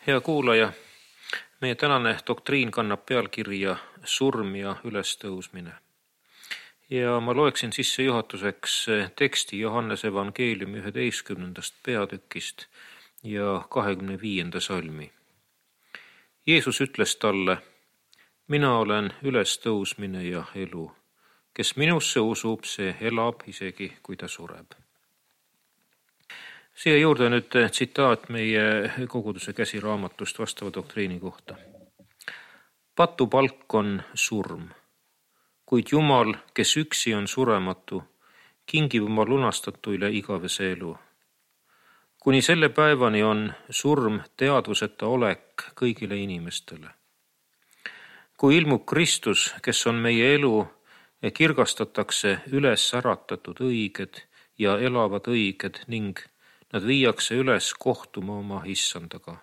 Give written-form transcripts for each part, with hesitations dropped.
Hea kuulaja, meie tänane doktriin kannab pealkirja Surm ja ülestõusmine. Ja ma loeksin sissejuhatuseks teksti Johannese evangeeliumi 11. peatükist ja 25. salmi. Jeesus ütles talle: mina olen ülestõusmine ja elu. Kes minusse usub, see elab isegi, kui ta sureb. Siia juurde nüüd tsitaat meie koguduse käsiraamatust vastava doktriini kohta. Patupalk on surm, kuid Jumal, kes üksi on surematu, kingib oma lunastatuile igavese elu. Kuni selle päevani on surm teadvuseta olek kõigile inimestele. Kui ilmub Kristus, kes on meie elu, kirgastatakse üles äratatud õiged ja elavad õiged ning nad viiakse üles kohtuma oma issandaga.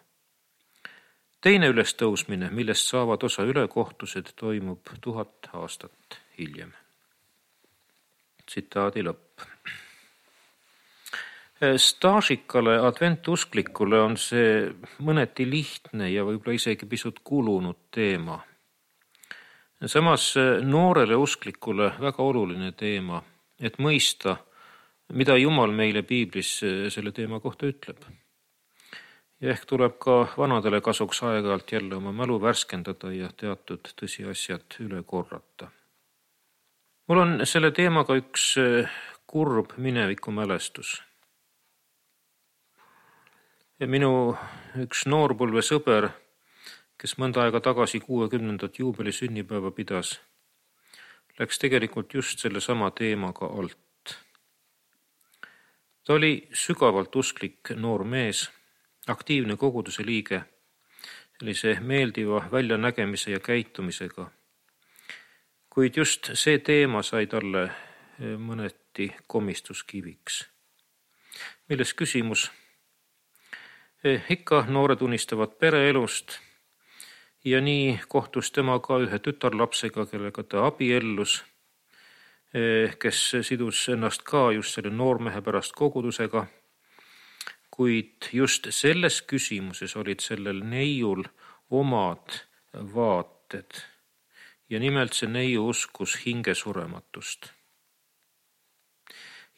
Teine ülestõusmine, millest saavad osa ülekohtused, toimub 1000 aastat hiljem. Tsitaadi lõpp. Staažikale adventusklikule on see mõneti lihtne ja võib-olla isegi pisut kulunud teema. Samas noorele usklikule väga oluline teema, et mõista, mida Jumal meile piiblis selle teema kohta ütleb. Ja ehk tuleb ka vanadele kasuks aeg-ajalt jälle oma mälu värskendada ja teatud tõsiasjad üle korrata. Mul on selle teemaga üks kurb minevikumälestus. Minu üks noorpõlve sõber, kes mõnda aega tagasi 60. juubeli sünnipäeva pidas, läks tegelikult just selle sama teemaga alt. Ta oli sügavalt usklik noor mees, aktiivne koguduse liige, sellise meeldiva väljanägemise ja käitumisega. Kuid just see teema sai talle mõneti komistuskiviks. Milles küsimus? Ikka noored unistavad pereelust ja nii kohtus tema ka ühe tütarlapsega, kellega ta abiellus, kes sidus ennast ka just selle noormehe pärast kogudusega, kuid just selles küsimuses olid sellel neiul omad vaated ja nimelt see neiu uskus hingesurematust.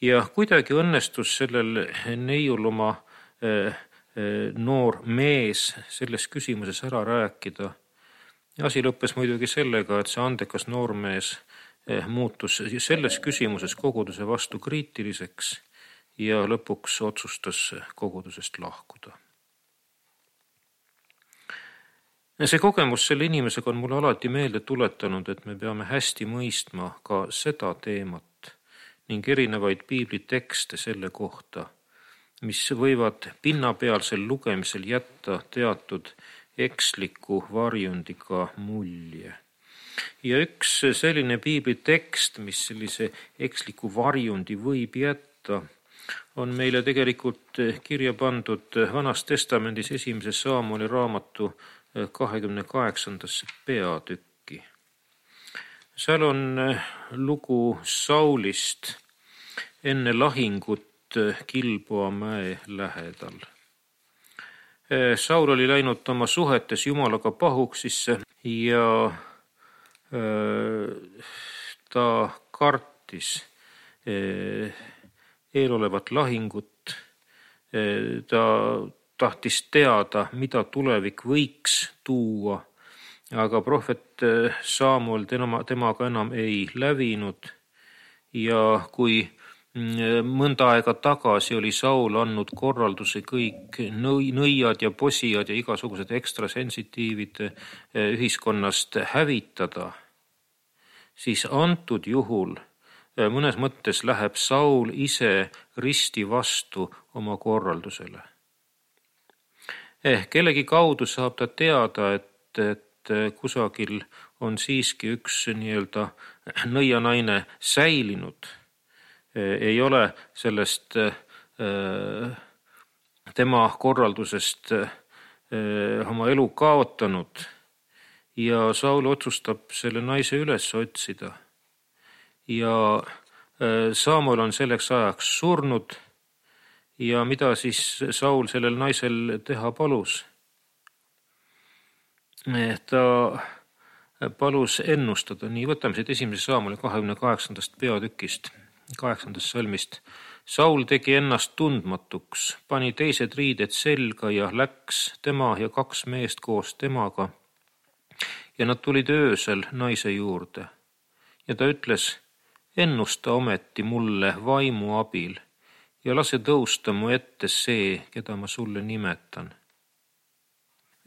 Ja kuidagi õnnestus sellel neiul oma noor mees selles küsimuses ära rääkida. Ja asi lõppes muidugi sellega, et see andekas noormees muutus selles küsimuses koguduse vastu kriitiliseks ja lõpuks otsustas kogudusest lahkuda. See kogemus selle inimesega on mulle alati meelde tuletanud, et me peame hästi mõistma ka seda teemat ning erinevaid piiblitekste selle kohta, mis võivad pinnapealsel lugemisel jätta teatud eksliku varjundiga mulje. Ja üks selline piiblitekst, mis sellise eksliku varjundi võib jätta, on meile tegelikult kirja pandud Vanas Testamendis 1. Saamueli raamatu 28. peatükki. Seal on lugu Saulist enne lahingut Gilboa mäe lähedal. Saul oli läinud oma suhetes Jumalaga pahuksisse ja ta kartis eelolevat lahingut. Ta tahtis teada, mida tulevik võiks tuua, aga prohvet Samuel temaga enam ei lävinud ja kui mõnda aega tagasi oli Saul andnud korralduse kõik nõiad ja posijad ja igasugused ekstrasensitiivid ühiskonnast hävitada, siis antud juhul mõnes mõttes läheb Saul ise risti vastu oma korraldusele. Kellegi kaudu saab ta teada, et kusagil on siiski üks nii-öelda nõianaine säilinud. Ei ole sellest tema korraldusest oma elu kaotanud ja Saul otsustab selle naise üles otsida. Ja Samuel on selleks ajaks surnud ja mida siis Saul sellel naisel teha palus? ta palus ennustada, nii võtame siit 1. Saamuli 28. peatükist, 8. salmist. Saul tegi ennast tundmatuks, pani teised riided selga ja läks tema ja 2 meest koos temaga. Ja nad tulid öösel naise juurde. Ja ta ütles, ennusta ometi mulle vaimu abil ja lase tõusta mu ette see, keda ma sulle nimetan.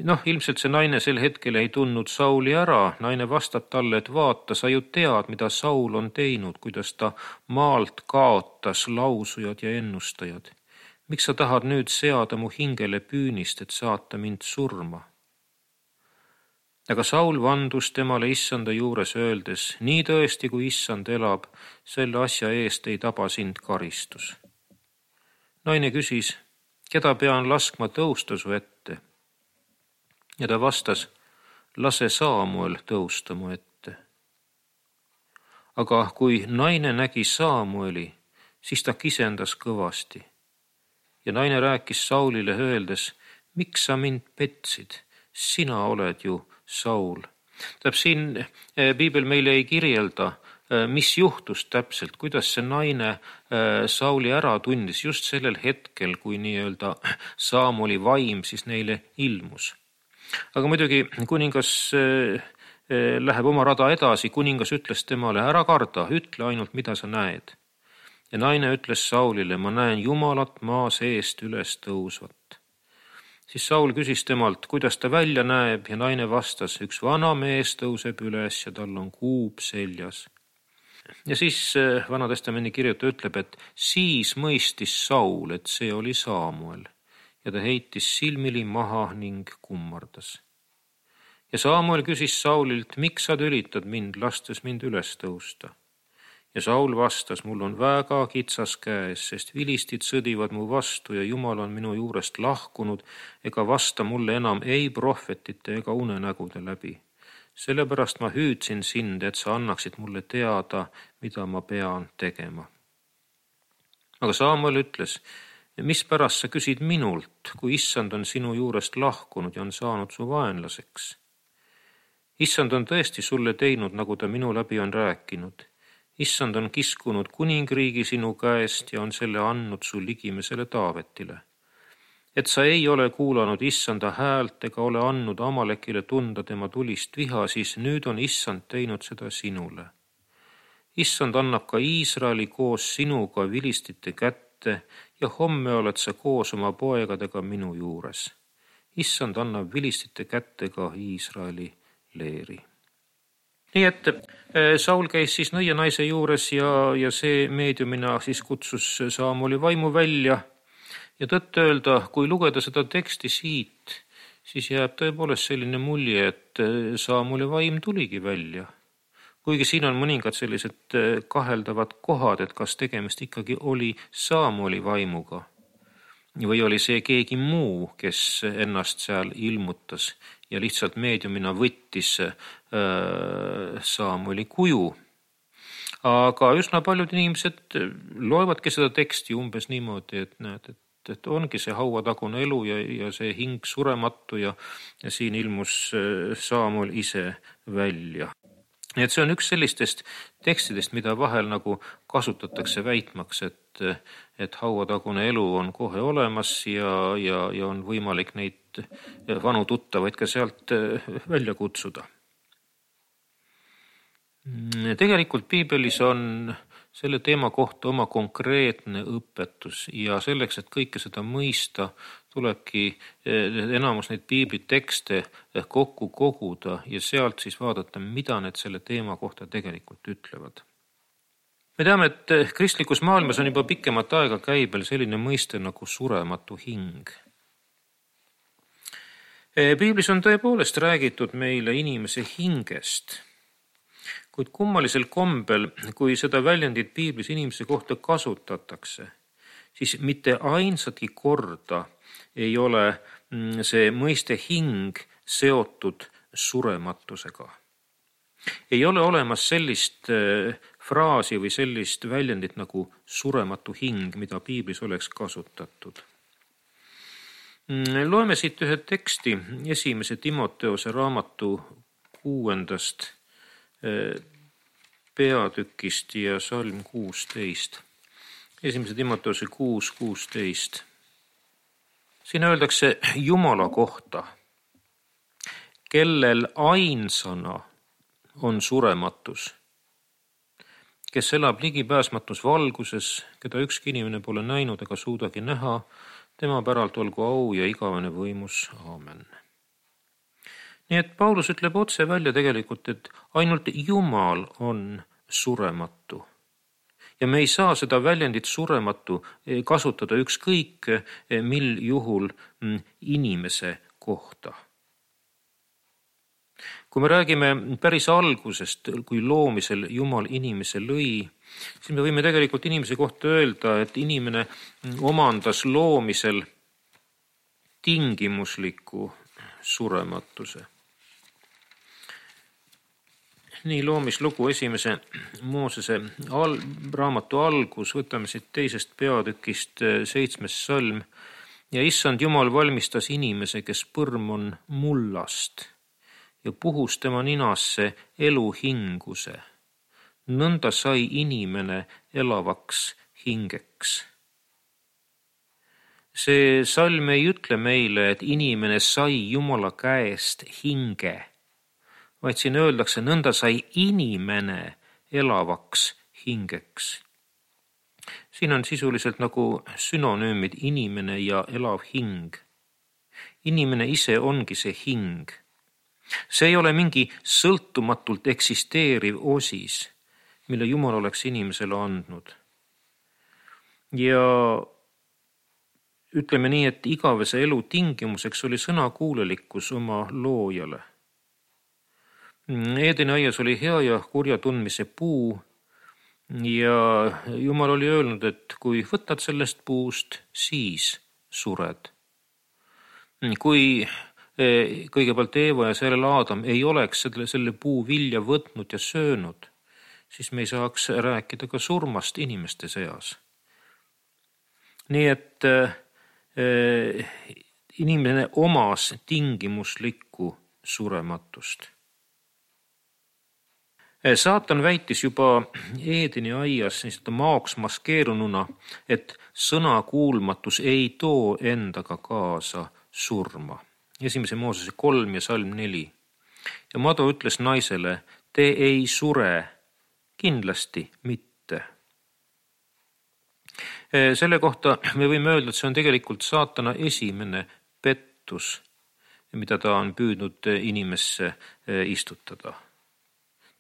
Ilmselt see naine sel hetkel ei tundnud Sauli ära. Naine vastab talle, et vaata, sa ju tead, mida Saul on teinud, kuidas ta maalt kaotas lausujad ja ennustajad. Miks sa tahad nüüd seada mu hingele püünist, et saata mind surma? Aga Saul vandus temale issanda juures öeldes, nii tõesti, kui issand elab, selle asja eest ei taba sind karistus. Naine küsis, keda pean laskma tõusta su ette? Ja ta vastas, lase Saamuel tõusta mu ette. Aga kui naine nägi Saamueli, siis ta kisendas kõvasti. Ja naine rääkis Saulile öeldes, miks sa mind petsid? Sina oled ju Saul. Siin piibel meile ei kirjelda, mis juhtus täpselt, kuidas see naine Sauli ära tundis just sellel hetkel, kui nii-öelda Saamuli vaim siis neile ilmus. Aga muidugi kuningas läheb oma rada edasi, kuningas ütles temale, ära karda, ütle ainult, mida sa näed. Ja naine ütles Saulile, ma näen Jumalat maa seest üles tõusvat. Siis Saul küsis temalt, kuidas ta välja näeb ja naine vastas, üks vana mees tõuseb üles ja tal on kuub seljas. Ja siis Vana Testamendi kirjutaja ütleb, et siis mõistis Saul, et see oli Saamuel. Ja ta heitis silmili maha ning kummardas. Ja Saamuel küsis Saulilt, miks sa tülitad mind, lastes mind üles tõusta? Ja Saul vastas, mul on väga kitsas käes, sest vilistid sõdivad mu vastu ja Jumal on minu juurest lahkunud ega vasta mulle enam ei prohvetite ega unenägude läbi. Sellepärast ma hüüdsin sind, et sa annaksid mulle teada, mida ma pean tegema. Aga Saamuel ütles, mispärast sa küsid minult, kui issand on sinu juurest lahkunud ja on saanud su vaenlaseks? Issand on tõesti sulle teinud, nagu ta minu läbi on rääkinud. Issand on kiskunud kuningriigi sinu käest ja on selle andnud su ligimesele Taavetile. Et sa ei ole kuulanud issanda häält ega ole andnud Amalekile tunda tema tulist viha, siis nüüd on issand teinud seda sinule. Issand annab ka Iisraeli koos sinuga vilistite kätte ja homme oled sa koos oma poegadega minu juures. Issand annab vilistite kätte ka Iisraeli leeri. Nii et Saul käis siis nõia naise juures ja see meediumina siis kutsus Saamuli vaimu välja. Ja tõtt öelda, kui lugeda seda teksti siit, siis jääb tõepoolest selline mulje, et Saamuli vaim tuligi välja. Kuigi siin on mõningad sellised kaheldavad kohad, et kas tegemist ikkagi oli Saamuli vaimuga või oli see keegi muu, kes ennast seal ilmutas ja lihtsalt meediumina võttis Saamuli kuju. Aga üsna paljud inimesed loevadki seda teksti umbes niimoodi, et näed, et ongi see hauatagune elu ja see hing surematu ja siin ilmus Saamuel ise välja. Nii et see on üks sellistest tekstidest, mida vahel nagu kasutatakse väitmaks, et hauatagune elu on kohe olemas ja on võimalik neid vanu tuttavaid ka sealt välja kutsuda. Tegelikult piibelis on selle teema kohta oma konkreetne õpetus ja selleks, et kõike seda mõista, tulebki enamus neid piiblitekste kokku koguda ja sealt siis vaadata, mida need selle teema kohta tegelikult ütlevad. Me teame, et kristlikus maailmas on juba pikemat aega käibel selline mõiste nagu surematu hing. Piiblis on tõepoolest räägitud meile inimese hingest, kuid kummalisel kombel, kui seda väljendit piiblis inimese kohta kasutatakse, siis mitte ainsatki korda ei ole see mõiste hing seotud surematusega. Ei ole olemas sellist fraasi või sellist väljendit nagu surematu hing, mida piiblis oleks kasutatud. Loeme siit ühe teksti 1. Timoteose raamatu 6. peatükist ja salm 16. 1. Timoteose 6:16. Siin öeldakse Jumala kohta, kellel ainsana on surematus, kes elab ligipääsmatus valguses, keda ükski inimene pole näinud ega suudagi näha, tema päralt olgu au ja igavene võimus. Aamen. Nii et Paulus ütleb otse välja tegelikult, et ainult Jumal on surematu. Ja me ei saa seda väljendit surematu kasutada ükskõik mil juhul inimese kohta. Kui me räägime päris algusest, kui loomisel Jumal inimese lõi, siis me võime tegelikult inimese kohta öelda, et inimene omandas loomisel tingimusliku surematuse. Nii loomislugu 1. Moosese raamatu algus, võtame siit 2. peatükist 7. salm. Ja issand Jumal valmistas inimese, kes põrm on mullast ja puhus tema ninasse eluhinguse. Nõnda sai inimene elavaks hingeks. See salm ei ütle meile, et inimene sai Jumala käest hinge, vaid siin öeldakse, nõnda sai inimene elavaks hingeks. Siin on sisuliselt nagu sünonüümid inimene ja elav hing. Inimene ise ongi see hing. See ei ole mingi sõltumatult eksisteeriv osis, mille Jumal oleks inimesele andnud. Ja ütleme nii, et igavese elu tingimuseks oli sõnakuulelikkus oma loojale. Eedeni aias oli hea ja kurja tundmise puu ja Jumal oli öelnud, et kui võtad sellest puust, siis sured. Kui kõigepealt Eeva ja sellel Aadam ei oleks selle puu vilja võtnud ja söönud, siis me ei saaks rääkida ka surmast inimeste seas. Nii et inimene omas tingimuslikku surematust. Saatan väitis juba Eedeni aias maoks maskeerununa, et sõnakuulmatus ei too endaga kaasa surma. 1. Moosese 3 ja salm 4. Ja Mado ütles naisele, te ei sure, kindlasti mitte. Selle kohta me võime öelda, et see on tegelikult saatana esimene pettus, mida ta on püüdnud inimesse istutada.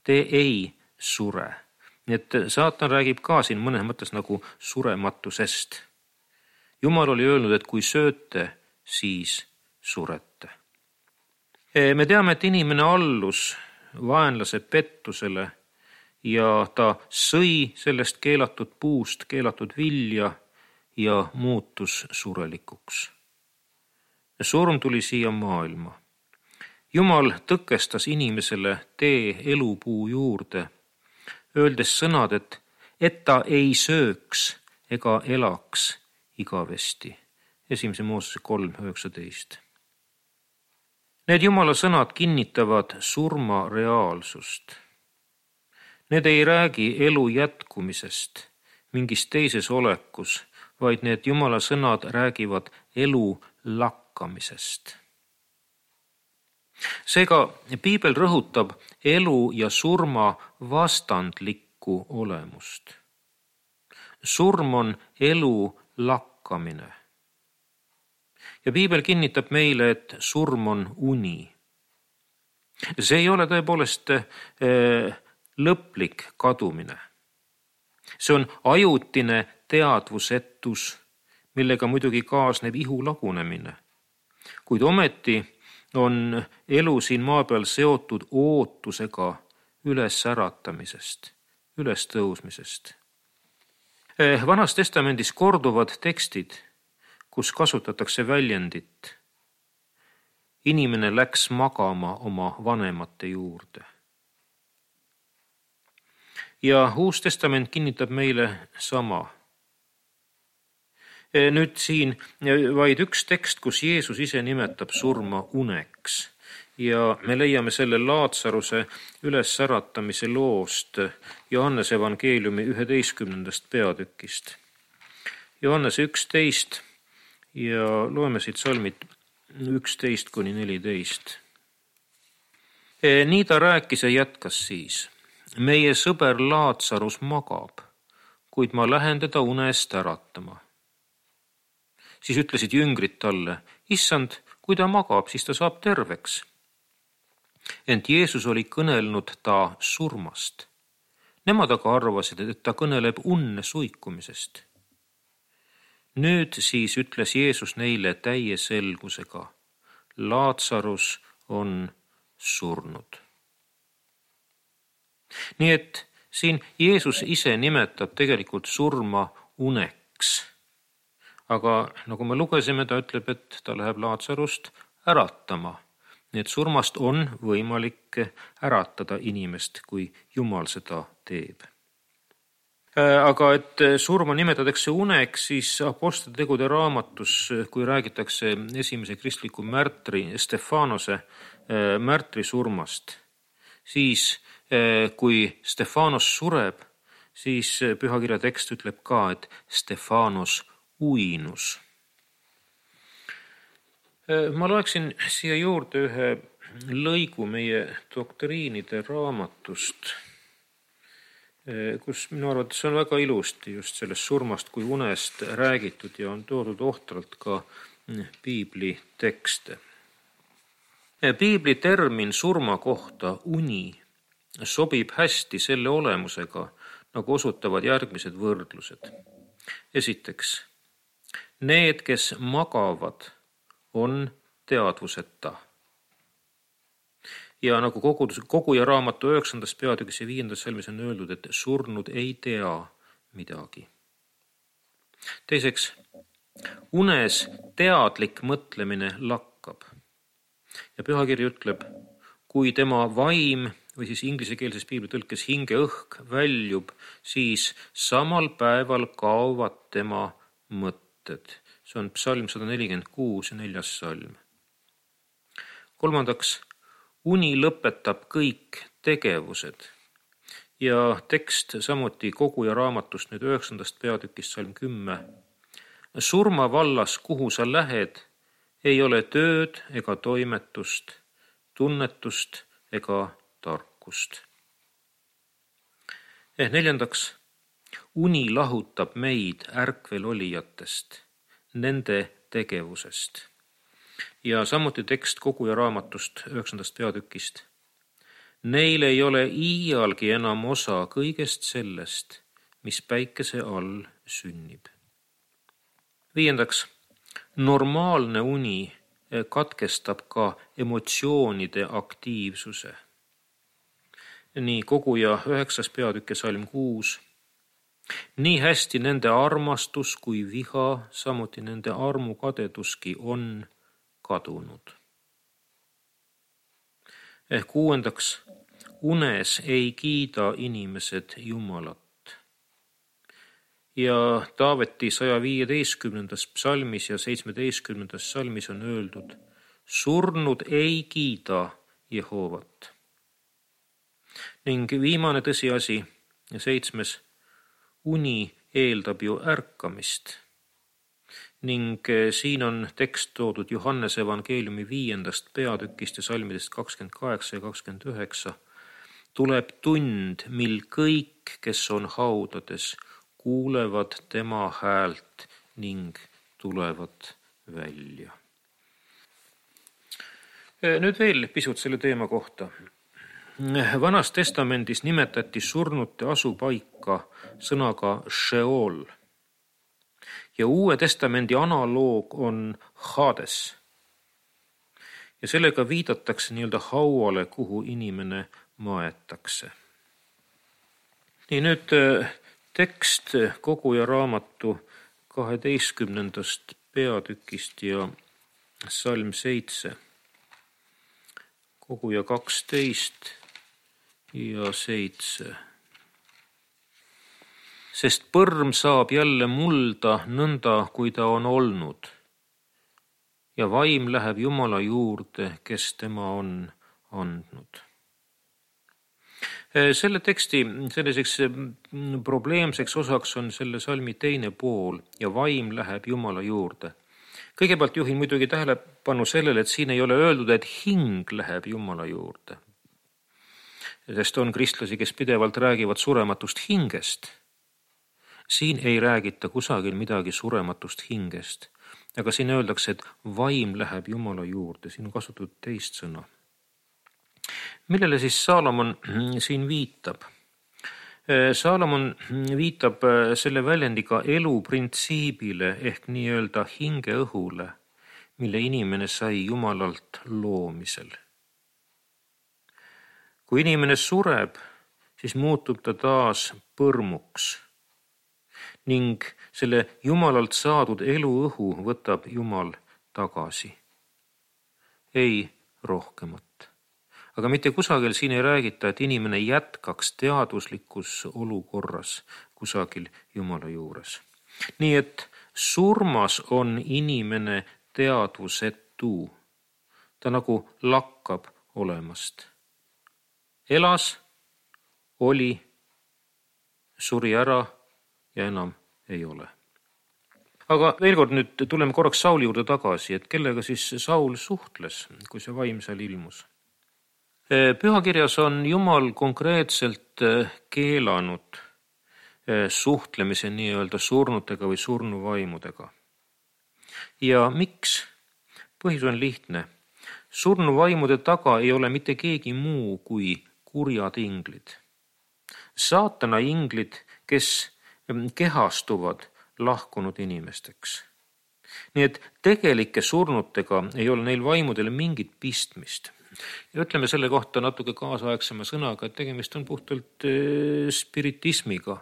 Te ei sure. Nii et saatan räägib ka siin mõnes mõttes nagu surematusest. Jumal oli öelnud, et kui sööte, siis surete. Me teame, et inimene allus vaenlase pettusele ja ta sõi sellest keelatud puust, keelatud vilja ja muutus surelikuks. Surm tuli siia maailma. Jumal tõkestas inimesele tee elupuu juurde, öeldes sõnad, et ta ei sööks ega elaks igavesti. 1. Moosese 3:19. Need Jumala sõnad kinnitavad surma reaalsust. Need ei räägi elu jätkumisest mingis teises olekus, vaid need Jumala sõnad räägivad elu lakkamisest. Seega Piibel rõhutab elu ja surma vastandlikku olemust. Surm on elu lakkamine. Ja Piibel kinnitab meile, et surm on uni. See ei ole tõepoolest lõplik kadumine. See on ajutine teadvusetus, millega muidugi kaasneb ihu lagunemine. Kuid ometi on elu siin maa peal seotud ootusega ülesäratamisest, ülestõusmisest. Vanas testamendis korduvad tekstid, kus kasutatakse väljendit. Inimene läks magama oma vanemate juurde. Ja Uus Testament kinnitab meile sama. Nüüd siin vaid üks tekst, kus Jeesus ise nimetab surma uneks ja me leiame selle Laatsaruse ülesäratamise loost Johannese evangeeliumi 11. peatükist. Johannese 11 ja loeme siit salmid 11-14. Nii ta rääkis ja jätkas siis. Meie sõber Laatsarus magab, kuid ma lähen teda unest äratama. Siis ütlesid jüngrid talle, issand, kui ta magab, siis ta saab terveks. Ent Jeesus oli kõnelnud ta surmast. Nemad aga arvasid, et ta kõneleb unne suikumisest. Nüüd siis ütles Jeesus neile täie selgusega, Laatsarus on surnud. Nii et siin Jeesus ise nimetab tegelikult surma uneks. Aga nagu me lugesime, ta ütleb, et ta läheb Laatsarust äratama. Nii et surmast on võimalik äratada inimest, kui Jumal seda teeb. Aga et surma nimetatakse uneks, siis Apostlite tegude raamatus, kui räägitakse esimese kristliku märtri Stefanose märtri surmast, siis kui Stefanos sureb, siis pühakirja tekst ütleb ka, et Stefanos uinus. Ma loeksin siia juurde ühe lõigu meie doktriinide raamatust, kus minu arvates on väga ilusti just sellest surmast kui unest räägitud ja on toodud ohtralt ka piibli tekste. Piibli termin surma kohta uni sobib hästi selle olemusega, nagu osutavad järgmised võrdlused. Esiteks, need, kes magavad, on teadvuseta. Ja nagu Koguja raamatu 9. peatükis ja 5. salmis on öeldud, et surnud ei tea midagi. Teiseks, unes teadlik mõtlemine lakkab. Ja pühakiri ütleb, kui tema vaim või siis inglisekeelses piiblitõlkes hingeõhk väljub, siis samal päeval kaovad tema mõtted. See on psalm 146 ja 4. salm. Kolmandaks, uni lõpetab kõik tegevused ja tekst samuti Koguja raamatust nüüd 9. peatükist salm 10. Surma vallas, kuhu sa lähed, ei ole tööd ega toimetust, tunnetust ega tarkust. Neljandaks, uni lahutab meid ärkvel olijatest, nende tegevusest. Ja samuti tekst Koguja raamatust 9. peatükist. Neil ei ole iialgi enam osa kõigest sellest, mis päikese all sünnib. Viiendaks, normaalne uni katkestab ka emotsioonide aktiivsuse. Nii Koguja 9. peatükk ja salm 6. Nii hästi nende armastus kui viha, samuti nende armukadeduski on kadunud. Kuuendaks, unes ei kiida inimesed Jumalat. Ja Taaveti 115. psalmis ja 17. salmis on öeldud, surnud ei kiida Jehovat. Ning viimane tõsiasi, 7. uni eeldab ju ärkamist. Ning siin on tekst toodud Johannese evangeeliumi 5. peatükist ja salmidest 28 ja 29. Tuleb tund, mil kõik, kes on haudades, kuulevad tema häält ning tulevad välja. Nüüd veel pisut selle teema kohta. Vanas testamendis nimetati surnute asupaika sõnaga Sheol. Ja Uue testamendi analoog on Hades. Ja sellega viidatakse nii-öelda hauale, kuhu inimene maetakse. Nii nüüd tekst Koguja raamatu 12. peatükist ja salm 7. Koguja 12 ja 7. sest põrm saab jälle mulda nõnda, kui ta on olnud. Ja vaim läheb Jumala juurde, kes tema on andnud. Selle teksti selliseks probleemseks osaks on selle salmi teine pool ja vaim läheb Jumala juurde. Kõigepealt juhin muidugi tähelepanu sellele, et siin ei ole öeldud, et hing läheb Jumala juurde. Sest on kristlasi, kes pidevalt räägivad surematust hingest. Siin ei räägita kusagil midagi surematust hingest. Aga siin öeldakse, et vaim läheb Jumala juurde. Siin on kasutatud teist sõna. Millele siis Saalomon siin viitab? Saalomon viitab selle väljendiga eluprintsiibile ehk nii-öelda hingeõhule, mille inimene sai Jumalalt loomisel. Kui inimene sureb, siis muutub ta taas põrmuks ning selle Jumalalt saadud eluõhu võtab Jumal tagasi. Ei rohkemat. Aga mitte kusagil siin ei räägita, et inimene jätkaks teaduslikus olukorras kusagil Jumala juures. Nii et surmas on inimene teadvusetu. Ta nagu lakkab olemast. Elas, oli, suri ära ja enam ei ole. Aga veel kord nüüd tuleme korraks Sauli juurde tagasi, et kellega siis Saul suhtles, kui see vaim seal ilmus. Pühakirjas on Jumal konkreetselt keelanud suhtlemise nii-öelda surnutega või surnuvaimudega. Ja miks? Põhjus on lihtne. Surnuvaimude taga ei ole mitte keegi muu kui kurjad inglid. Saatana inglid, kes kehastuvad lahkunud inimesteks. Nii et tegelike surnutega ei ole neil vaimudele mingit pistmist. Ja ütleme selle kohta natuke kaasaegsema sõnaga, et tegemist on puhtalt spiritismiga.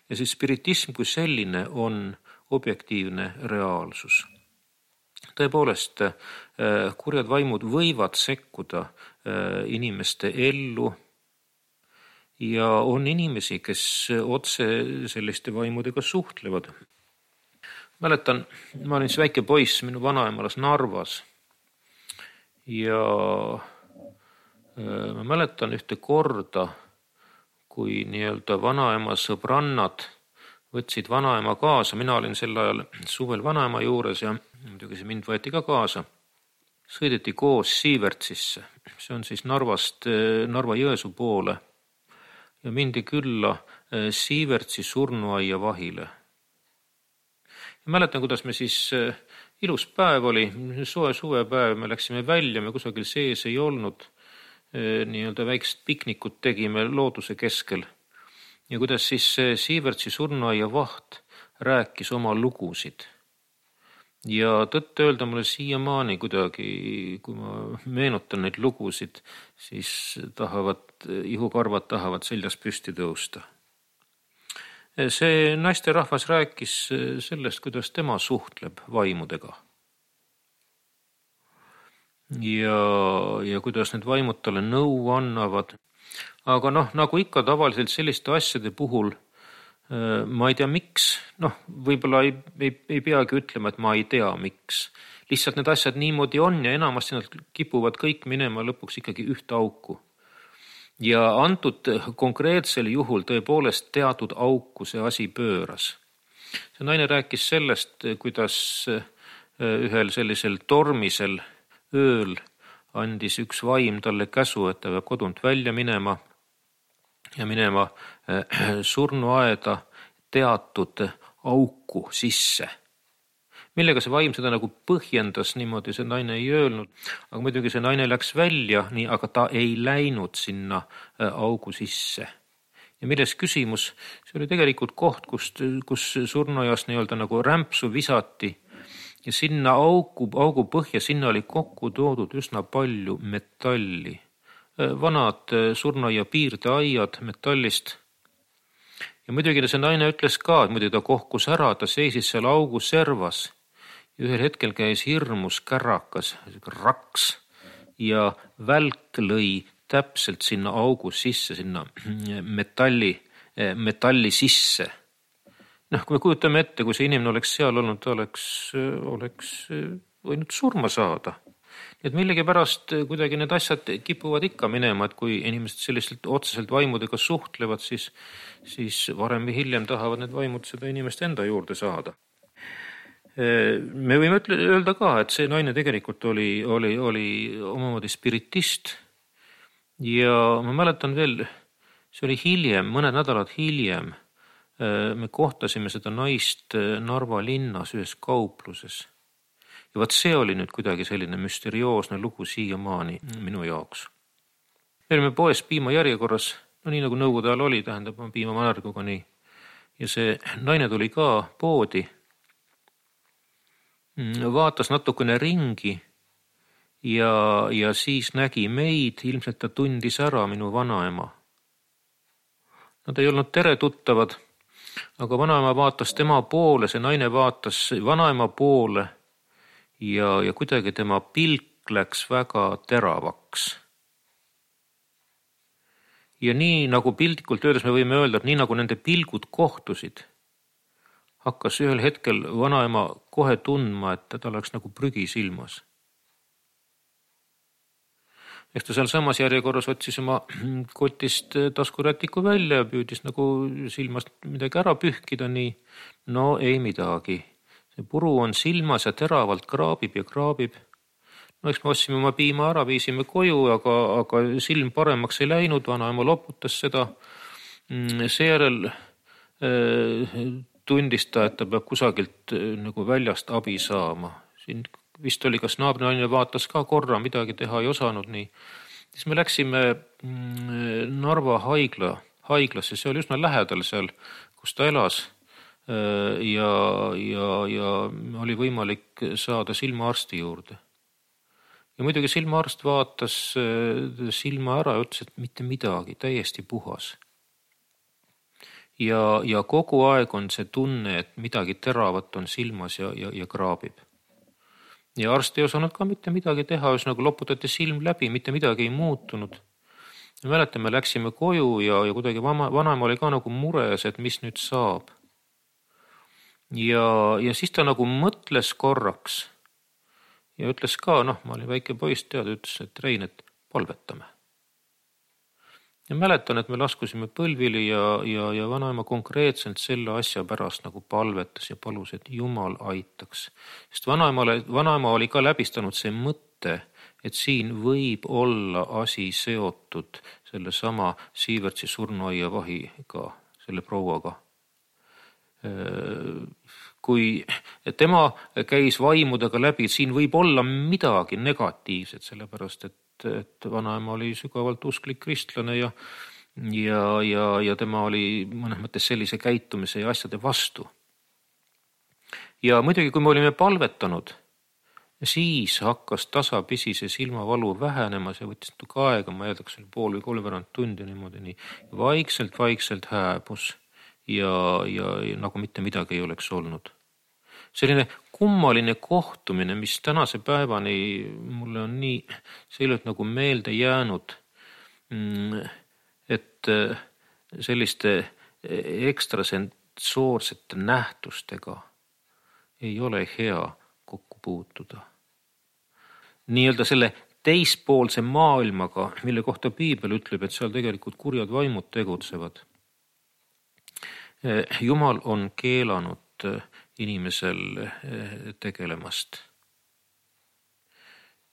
Ja siis spiritism kui selline on objektiivne reaalsus. Tõepoolest, kurjad vaimud võivad sekkuda inimeste ellu ja on inimesi, kes otse selliste vaimudega suhtlevad. Mäletan, ma olin väike poiss, minu vanaema elas Narvas. Ja ma mäletan ühte korda, kui nii-öelda vanaema sõbrannad võtsid vanaema kaasa. Mina olin sel ajal suvel vanaema juures ja muidugi see mind võeti ka kaasa. Sõideti koos Siivertsisse. See on siis Narvast Narva-Jõesuu poole ja mindi külla Siivertsi surnuaia vahile. Ja mäletan, kuidas me siis ilus päev oli, suvepäev, me läksime välja, me kusagil sees ei olnud, nii-öelda väikest piknikut tegime looduse keskel. Ja kuidas siis Siivertsi surnuaia vaht rääkis oma lugusid. Ja tõtt öelda mulle siiamaani kuidagi, kui ma meenutan neid lugusid, siis ihukarvad tahavad seljas püsti tõusta. See naisterahvas rääkis sellest, kuidas tema suhtleb vaimudega. Ja kuidas need vaimud talle nõu annavad. Aga nagu ikka tavaliselt selliste asjade puhul, ma ei tea miks, võib-olla ei peagi ütlema, et ma ei tea miks. Lihtsalt need asjad niimoodi on ja enamasti nad kipuvad kõik minema lõpuks ikkagi ühte auku. Ja antud konkreetsel juhul tõepoolest teatud auku see asi pööras. See naine rääkis sellest, kuidas ühel sellisel tormisel ööl andis üks vaim talle käsu, et ta peab kodunt välja minema ja minema surnuaeda teatud auku sisse. Millega see vaim seda nagu põhjendas, niimoodi see naine ei öelnud, aga muidugi see naine läks välja, aga ta ei läinud sinna augu sisse. Ja milles küsimus, see oli tegelikult koht, kus surnuaias nii-öelda nagu rämpsu visati ja sinna augu põhja, sinna oli kokku toodud üsna palju metalli. Vanad surnuaia piirdeaiad metallist. Ja muidugi see naine ütles ka, et muidugi ta kohkus ära, ta seisis seal augu servas. Ja ühel hetkel käis hirmus kärakas, raks ja välk lõi täpselt sinna augu sisse, sinna metalli sisse. Kui me kujutame ette, kui see inimene oleks seal olnud, ta oleks võinud surma saada. Nii et millegipärast kuidagi need asjad kipuvad ikka minema, et kui inimesed selliselt otseselt vaimudega suhtlevad, siis varem või hiljem tahavad need vaimud seda inimest enda juurde saada. Me võime öelda ka, et see naine tegelikult oli omamoodi spiritist ja ma mäletan veel, see oli hiljem, mõned nädalad hiljem, me kohtasime seda naist Narva linnas ühes kaupluses. Ja vaat see oli nüüd kuidagi selline müsterioosne lugu siiamaani minu jaoks. Me olime poes piimajärjekorras, nii nagu nõukogude ajal oli, tähendab piimamanarguga nii. Ja see naine tuli ka poodi, vaatas natukene ringi ja siis nägi meid, ilmselt ta tundis ära minu vanaema. Nad ei olnud teretuttavad, aga vanaema vaatas tema poole, see naine vaatas vanaema poole ja kuidagi tema pilk läks väga teravaks. Ja nii nagu piltlikult öeldes me võime öelda, et nii nagu nende pilgud kohtusid, hakkas ühel hetkel vanaema kohe tundma, et ta oleks nagu prügi silmas. Ehk ta seal samas järjekorras otsis oma kotist taskurätiku välja ja püüdis nagu silmast midagi ära pühkida, nii no ei midagi. See puru on silmas ja teravalt kraabib ja kraabib. No eks me otsime oma piima ära, viisime koju, aga silm paremaks ei läinud, vanaema loputas seda. Seejärel tundis ta, et ta peab kusagilt nagu väljast abi saama. Siin vist oli, kas naabrinaine vaatas ka korra, midagi teha ei osanud nii. Siis me läksime Narva haiglasse, see oli üsna lähedal seal, kus ta elas. Ja oli võimalik saada silmaarsti juurde. Ja muidugi silmaarst vaatas silma ära ja ütles, et mitte midagi, täiesti puhas. Ja kogu aeg on see tunne, et midagi teravat on silmas ja kraabib. Ja arst ei osanud ka mitte midagi teha, üsnaga loputati silm läbi, mitte midagi ei muutunud. Ja mäletame, läksime koju ja kuidagi vanaema oli ka nagu mures, et mis nüüd saab. Ja siis ta nagu mõtles korraks ja ütles ka, ma olin väike poiss, ütles, et Rein, et palvetame. Ja mäletan, et me laskusime põlvili ja vanaema konkreetselt selle asja pärast nagu palvetas ja palus, et Jumal aitaks. Sest vanaema oli ka läbistanud see mõtte, et siin võib olla asi seotud selle sama Siivertsi surnuaia vahiga, selle prouaga. Kui tema käis vaimudega läbi, siin võib olla midagi negatiivset, sellepärast et vanaema oli sügavalt usklik kristlane ja tema oli mõnes mõttes sellise käitumise ja asjade vastu. Ja muidugi, kui me olime palvetanud, siis hakkas tasapisi see silmavalu vähenema, see võttis natuke aega, ma eeldaks, oli pool või 3 tundi niimoodi nii. Vaikselt hääbus ja nagu mitte midagi ei oleks olnud. Selline kummaline kohtumine, mis tänase päevani mulle on nii selgelt nagu meelde jäänud, et selliste ekstrasensoorsete nähtustega ei ole hea kokku puutuda. Nii-öelda selle teispoolse maailmaga, mille kohta Piibel ütleb, et seal tegelikult kurjad vaimud tegutsevad. Jumal on keelanud inimesel tegelemast.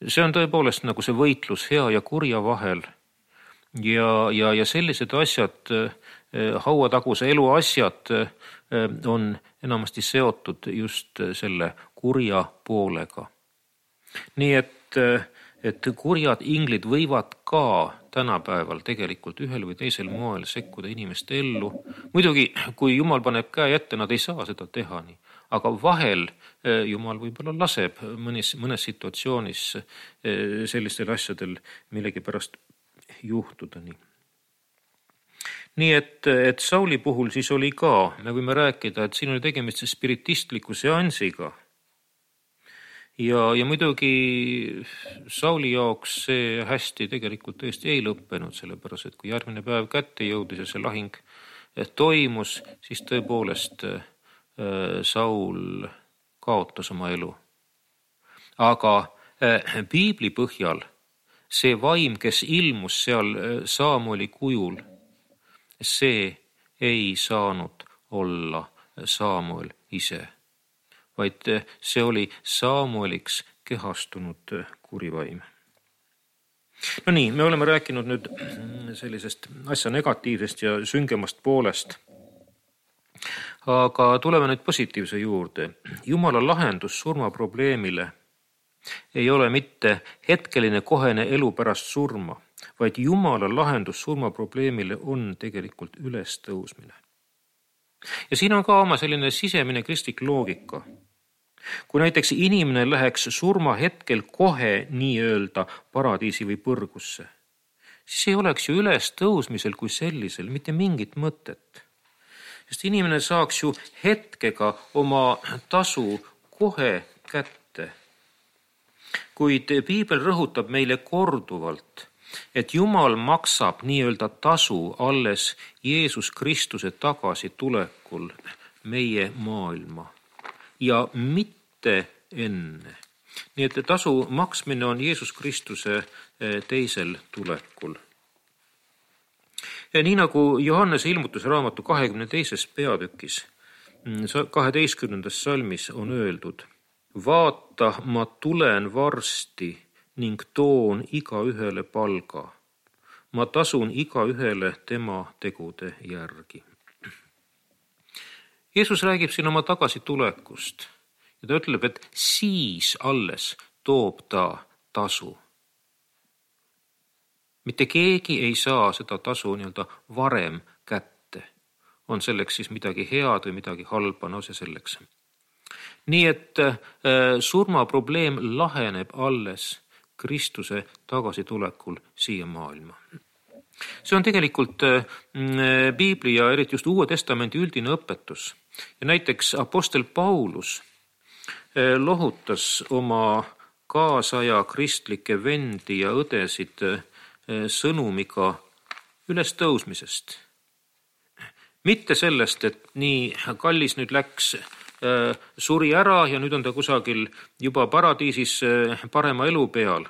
See on tõepoolest nagu see võitlus hea ja kurja vahel ja sellised asjad, hauataguse elu asjad on enamasti seotud just selle kurja poolega. Nii et kurjad inglid võivad ka tänapäeval tegelikult ühel või teisel moel sekkuda inimeste ellu. Muidugi, kui Jumal paneb käe ette, nad ei saa seda teha nii. Aga vahel Jumal võib-olla laseb mõnes situatsioonis sellistel asjadel millegipärast juhtuda nii. Nii et Sauli puhul siis oli ka, me võime rääkida, et siin oli tegemist spiritistliku seansiga. Ja muidugi Sauli jaoks see hästi tegelikult tõesti ei lõppenud, sellepärast, et kui järgmine päev kätte jõudis ja see lahing toimus, siis tõepoolest Saul kaotas oma elu. Aga piibli põhjal see vaim, kes ilmus seal Samueli kujul, see ei saanud olla Samuel ise, vaid see oli Samueliks kehastunud kurivaim. No nii, me oleme rääkinud nüüd sellisest asja negatiivsest ja süngemast poolest. Aga tuleme nüüd positiivse juurde. Jumala lahendus surmaprobleemile ei ole mitte hetkeline kohene elu pärast surma, vaid Jumala lahendus surmaprobleemile on tegelikult ülestõusmine. Ja siin on ka oma selline sisemine kristlik loogika. Kui näiteks inimene läheks surma hetkel kohe nii-öelda paradiisi või põrgusse, siis ei oleks ju ülestõusmisel kui sellisel mitte mingit mõtet. Sest inimene saaks ju hetkega oma tasu kohe kätte. Kuid piibel rõhutab meile korduvalt, et Jumal maksab nii-öelda tasu alles Jeesus Kristuse tagasitulekul meie maailma ja mitte enne. Nii et tasu maksmine on Jeesus Kristuse teisel tulekul. Ja nii nagu Johannese ilmutusraamatu 22. peatükis 12. salmis on öeldud: vaata, ma tulen varsti ning toon igaühele palga. Ma tasun igaühele tema tegude järgi. Jeesus räägib siin oma tagasitulekust ja ta ütleb, et siis alles toob ta tasu. Mitte keegi ei saa seda tasu nii-öelda varem kätte. On selleks siis midagi head või midagi halba, no see selleks. Nii et surmaprobleem laheneb alles Kristuse tagasitulekul siia maailma. See on tegelikult piibli ja eriti just Uue Testamendi üldine õpetus. Ja näiteks apostel Paulus lohutas oma kaasaja kristlikke vendi ja õdesid sõnumiga ülestõusmisest. Mitte sellest, et nii kallis nüüd läks, suri ära ja nüüd on ta kusagil juba paradiisis parema elu peal.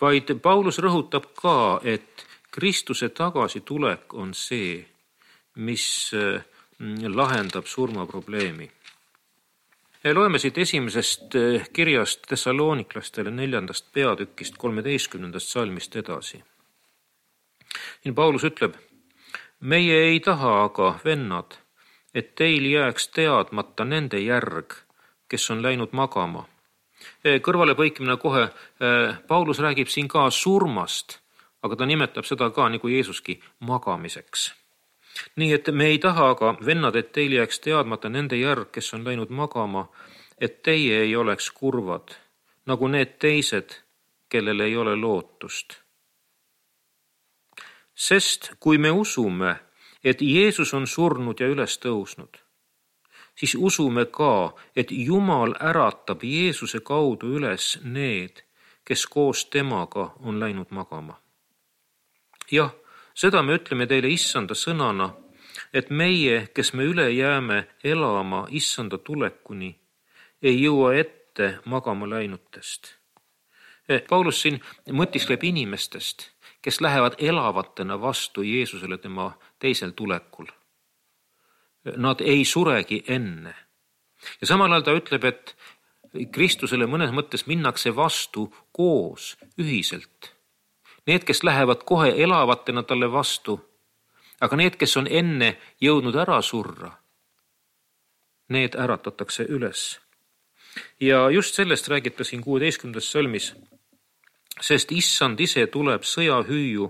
Vaid Paulus rõhutab ka, et Kristuse tagasitulek on see, mis lahendab surmaprobleemi. Loeme siit esimesest kirjast Thessaloniklastele 4. peatükist 13. salmist edasi. Siin Paulus ütleb: meie ei taha aga, vennad, et teil jääks teadmata nende järg, kes on läinud magama. Kõrvalepõikimine kohe, Paulus räägib siin ka surmast, aga ta nimetab seda ka nagu Jeesuski magamiseks. Nii et me ei taha aga, vennad, et teil jääks teadmata nende järg, kes on läinud magama, et teie ei oleks kurvad, nagu need teised, kellel ei ole lootust. Sest kui me usume, et Jeesus on surnud ja üles tõusnud, siis usume ka, et Jumal äratab Jeesuse kaudu üles need, kes koos temaga on läinud magama. Jah, seda me ütleme teile issanda sõnana, et meie, kes me üle jääme elama issanda tulekuni, ei jõua ette magama läinutest. Paulus siin mõtiskleb inimestest, kes lähevad elavatena vastu Jeesusele tema teisel tulekul. Nad ei suregi enne. Ja samal ajal ta ütleb, et Kristusele mõnes mõttes minnakse vastu koos, ühiselt. Need, kes lähevad kohe elavatena talle vastu, aga need, kes on enne jõudnud ära surra, need äratatakse üles. Ja just sellest räägib ta siin 16. salmis, sest issand ise tuleb sõjahüüu,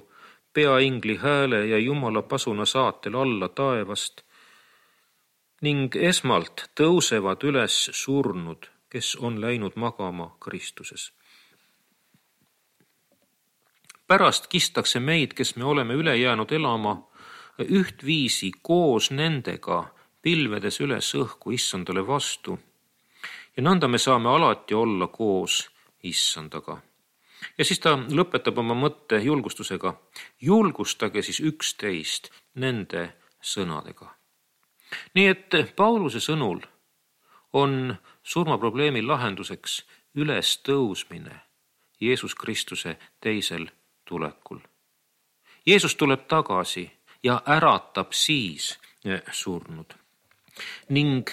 peaingli hääle ja Jumala pasuna saatel alla taevast ning esmalt tõusevad üles surnud, kes on läinud magama Kristuses. Pärast kistakse meid, kes me oleme üle jäänud elama, ühtviisi koos nendega pilvedes üles õhku issandale vastu ja nõnda me saame alati olla koos issandaga. Ja siis ta lõpetab oma mõtte julgustusega: julgustage siis üksteist nende sõnadega. Nii et Pauluse sõnul on surmaprobleemi lahenduseks ülestõusmine Jeesus Kristuse teisel tulekul. Jeesus tuleb tagasi ja äratab siis surnud. Ning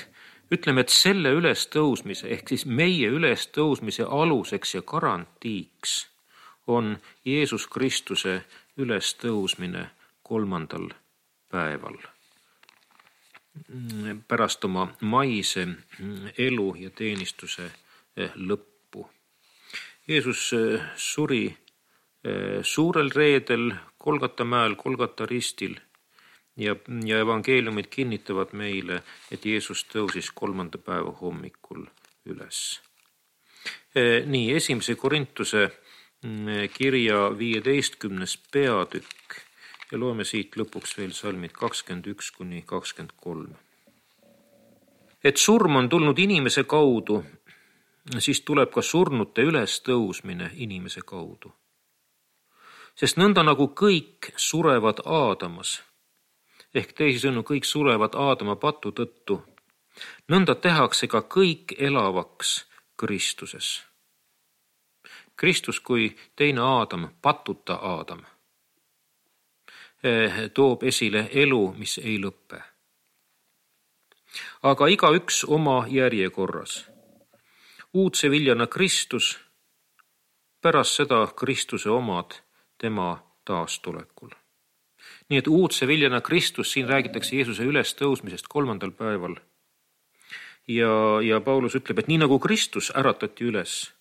ütleme, et selle ülestõusmise ehk siis meie ülestõusmise aluseks ja garantiiks on Jeesus Kristuse ülestõusmine 3. päeval pärast oma maise elu ja teenistuse lõppu. Jeesus suri suurel reedel Golgata mäel, Golgata ristil ja evangeeliumid kinnitavad meile, et Jeesus tõusis 3. päeva hommikul üles. Nii, 1. Korintuse kirja 15. peatükk ja loeme siit lõpuks veel salmid 21–23. Et surm on tulnud inimese kaudu, siis tuleb ka surnute ülestõusmine inimese kaudu. Sest nõnda nagu kõik surevad Aadamas, ehk teisisõnu kõik surevad Aadama patu tõttu, nõnda tehakse ka kõik elavaks Kristuses. Kristus kui teine Aadam, patuta Aadam, toob esile elu, mis ei lõppe. Aga igaüks oma järjekorras. Uudse viljana Kristus, pärast seda Kristuse omad tema taastulekul. Nii et uudse viljana Kristus, siin räägitakse Jeesuse ülestõusmisest 3. päeval. Ja Paulus ütleb, et nii nagu Kristus äratati üles,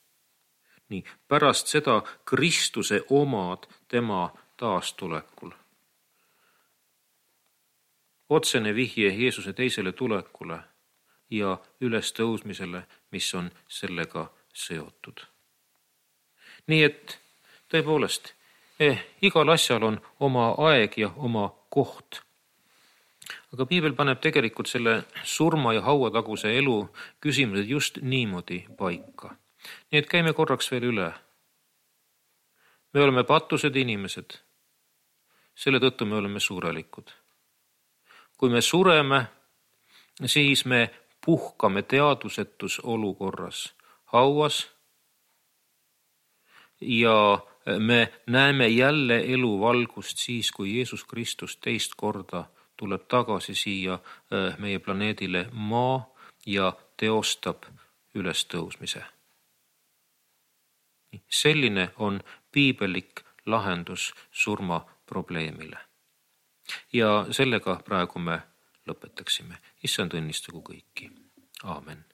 nii pärast seda Kristuse omad tema taastulekul. Otsene vihje Jeesuse teisele tulekule ja ülestõusmisele, mis on sellega seotud. Nii et tõepoolest, igal asjal on oma aeg ja oma koht. Aga piibel paneb tegelikult selle surma ja hauataguse elu küsimused just niimoodi paika. Nii et käime korraks veel üle. Me oleme patused inimesed. Selle tõttu me oleme surelikud. Kui me sureme, siis me puhkame teadvusetus olukorras hauas ja me näeme jälle elu valgust siis, kui Jeesus Kristus teist korda tuleb tagasi siia meie planeedile maa ja teostab ülestõusmise. Selline on piibelik lahendus surmaprobleemile. Ja sellega praegu me lõpetaksime. Issand õnnistagu kõiki. Aamen.